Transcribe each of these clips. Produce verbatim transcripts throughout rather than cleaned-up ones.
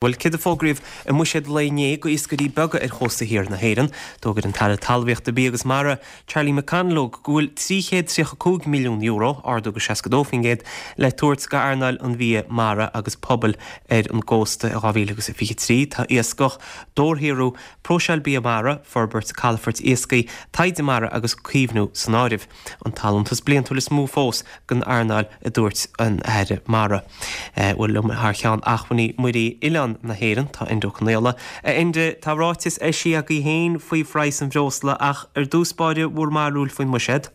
Bhuel, céard a fógraíodh i mbuiséad lae inné go iascairí beaga ar chósta thiar na hÉireann? D'fhógair an tAire Talmhaíochta, Bia agus Mara, Charlie McConalogue, go bhfuil trí chéad tríocha cúig milliún euro, ardú go seasca dó faoin gcéad, le tabhairt go earnáil an bhia mara agus pobail ar an gcósta i dhá mhíle agus a fiche trí. Tá iascach, dobharshaothrú, próiseáil bia mara, forbairt calafoirt iascaigh, taighde mara agus caomhnú san áireamh. An t-allúntas bliantúil is mó fós don earnáil, a dúirt an Aire Mara. Bhuel, liom thar cheann Acmhainní Muirí Oileán na hÉireann, tá Enda Ó Conaola. A Enda, tá ráiteas eisithe agaibh féin faoi phraghas an bhreosla ach ar dtús báire bhur mbarúil faoin mbuiséad?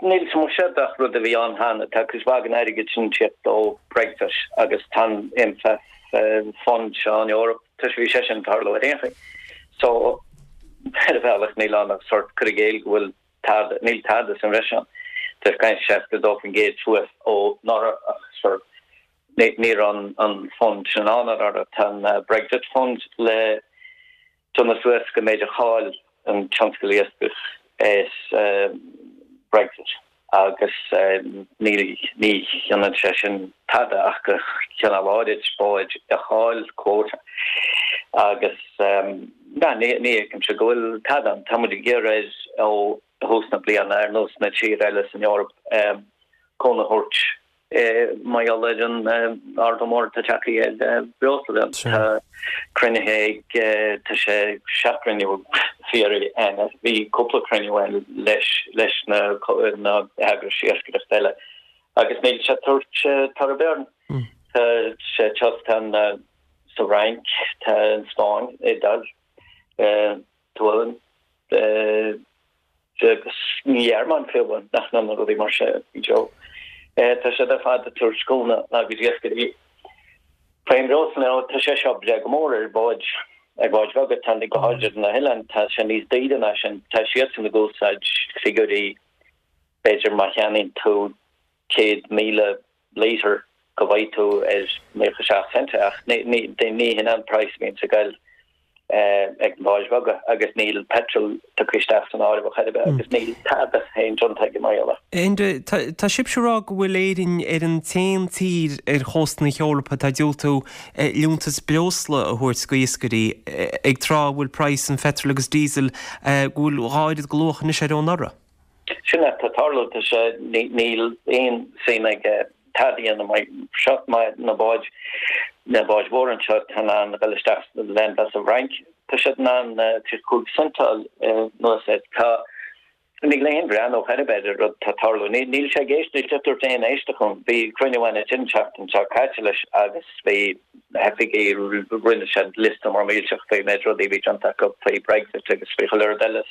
Níl sa mbuiséad ach rud a bhí ann cheana. Tá cuid mhaith den airgead sin teacht ó Brexit agus tá an M F F fund seo an Eoraip, tá sé bhí sé sin tarlú ar aon chaoi. So ar bhealach níl ann ach sort cur i gcéill go bhfuil tada, níl tada sa bhreis ann. Tá caint seasca dó faoin gcéad suas ó anuraidh ach sort ní ní raibh an an fund sin ann anuraidh. Tá an Brexit fund le déanamh suas go méid a chaill an tionscal iascaigh as Brexit agus ní ní hionann sé sin tada ach go cineál áirid báid a chaill quota agus na ní ní fheicimse go bhfuil tada ann. Tá muid ag iarraidh ó thús na bliana ar nós na tír eile san Eoraip cúnamh a thabhairt mar gheall ar an ardú mór atá tagtha ar breosla. Tá cruinnithe ag tá sé seacht gcruinniú fiafraí ann. Bhí cúpla cruinniú ann leis leis na na heagrais iascaireachta eile agus níl sé tabhairt toradh air. Tá sé teacht an sa Fhrainc, tá an Spáinn, Iodáil, Tualann, agus an Ghearmáin fiú nach na rudaí mar se Joe. Tá sé ar fad ag tabhairt cúnamh agus iascairí. Faoin mbreosla tá sé seo breá go mór ar báid ar bháid bheaga tá go háirithe na hoileáin tá sé níos daoire ná sin tá siadsan ag úsáid figiúirí b'fhéidir má cheannaíonn tú céad míle litre go bhfaighidh tú ar naocha seacht cent ach ní ní ní hin an price bhíonn sa gail ag báid bheaga agus níl petrol tugtha isteach san áireamh ar bith agus níl tada féin déanta ag mar gheall. Enda, tá sibhse ag rá go bhfuil Éirinn ar an t-aon tír ar chósta na hEorpa atá ag diúltú liúntas breosla a thabhairt go iascairí ag tráth a bhfuil praghas an phetrol agus diesel go bhfuil dhá oiread go luach anois ar ó anuraidh. Sin atá ag tarlú tá sé níl aon suim ag tada a dhéanamh seo na báid na báid mhóra anseo tá in ann dul isteach le sa bhFrainc tá siad in ann trí chúig cent anuas air tá níl aon bhreathnú ar bith ar rud tá tarlú níl sé ag éist níl sé tabhairt aon éisteacht chun bhí cruinniú ann an tseachtain seo caite leis agus bhí na hoifigigh rinne sé liosta mór millteach faoi méid rudaí bhí déanta acu faoi Brexit agus faoi chuile rud eile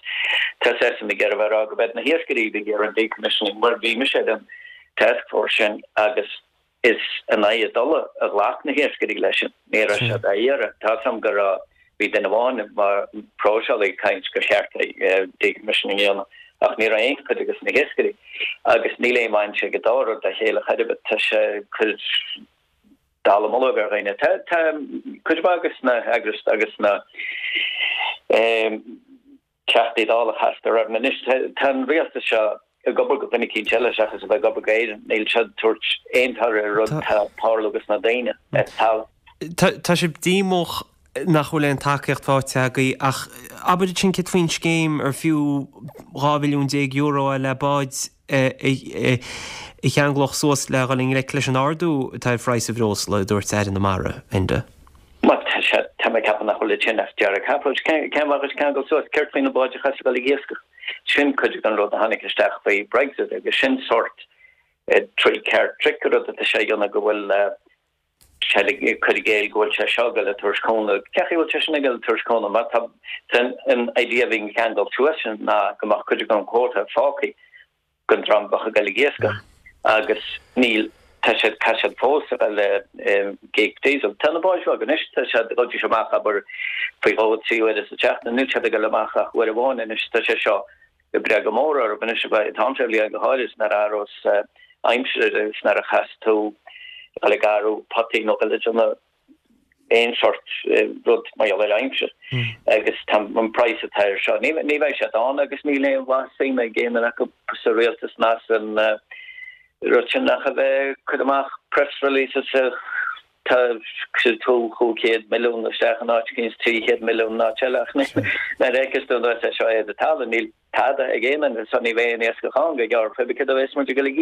tá seisean ag iarraidh a rá go mbeidh na hiascairí ag iarraidh an decommissioning mar bhí mise ar an task force sin agus is in aghaidh a dtola a ghlac na hiascairí leis sin ní raibh siad á iarraidh tá sam go raibh bhí duine amháin mar próiseálaí ag caint gur cheart decommissioning a dhéanamh ach ní raibh aon chuid agus na hiascairí agus níl aon bhaint ag an dá rud le chéile chor ar bith tá sé cur dallamullóg ar dhaoine tá tá cuid mhaith agus na heagrais agus na Teachtaí Dála chastar orm anois tá an rialtas seo ag obair go duine eicínt eile seachas a bheith ag obair go Éirinn níl siad ag tabhairt aon toradh ar rud atá ag tarlú agus na daoine ar talamh. Tá sibh díomách nach bhfuil aon tacaíocht faighte agaibh ach abair ansin céard faoin scéim ar fiú dhá mhilliún déag euro é le báid a cheanglódh suas le dhul i ngleic leis an ardú atá ar phraghas an bhreosla, a dúirt Aire na Mara, Enda. Bhuel, tá sé, tá mé ag ceapadh nach bhfuil ansin ach deargchapall. Cén mhaith dhuit ceangal suas? Céard faoi na báid a chaithfeas a dhul ag iascach? Sin cuid den rud a tháinig isteach faoi Brexit agus sin sórt three card trick rud atá sé a dhéanamh go bhfuil sé ag cur i gcéill go bhfuil sé seo ag dul ag tabhairt cúnamh. Cén chaoi a bhfuil sé sin ag dul ag tabhairt cúnamh? Má tá an idea a bhí an ceangal suas sin ná go mbeadh cuid den quota fágtha don dream a bheadh ag dul ag iascach agus níl, tá siad, tá siad fós ag dul ag íoc diesel. Tá na báid bheaga anois, tá siad, ghabhaidís amach abair faoi dhó trí uaire sa tseachtain, níl siad ag dul amach ach uair amháin anois, tá sé seo ag breith go mór orthu anois an t-am seo bhliain go háirid nuair a athrós aimsir agus nuair a chaithfeas tú dul ag gearradh potaí nó dul ag déanamh aon sort rud mar gheall ar aimsir agus tá an praghas atá air seo. Ní ní bheidh siad ann agus níl aon mhaith suim ag aon duine acu sa rialtas ná san rud sin ach a bheith ag cur amach press releases ag Tá tú cúig chéad milliún isteach in áit éicint trí chéad milliún in áit eile ach nuair a fheiceas tú an dóigh seo é do talamh níl tada ag aon duine so ní bheidh aon iascach ann go gearr pé cad a bheas muid ag dul ag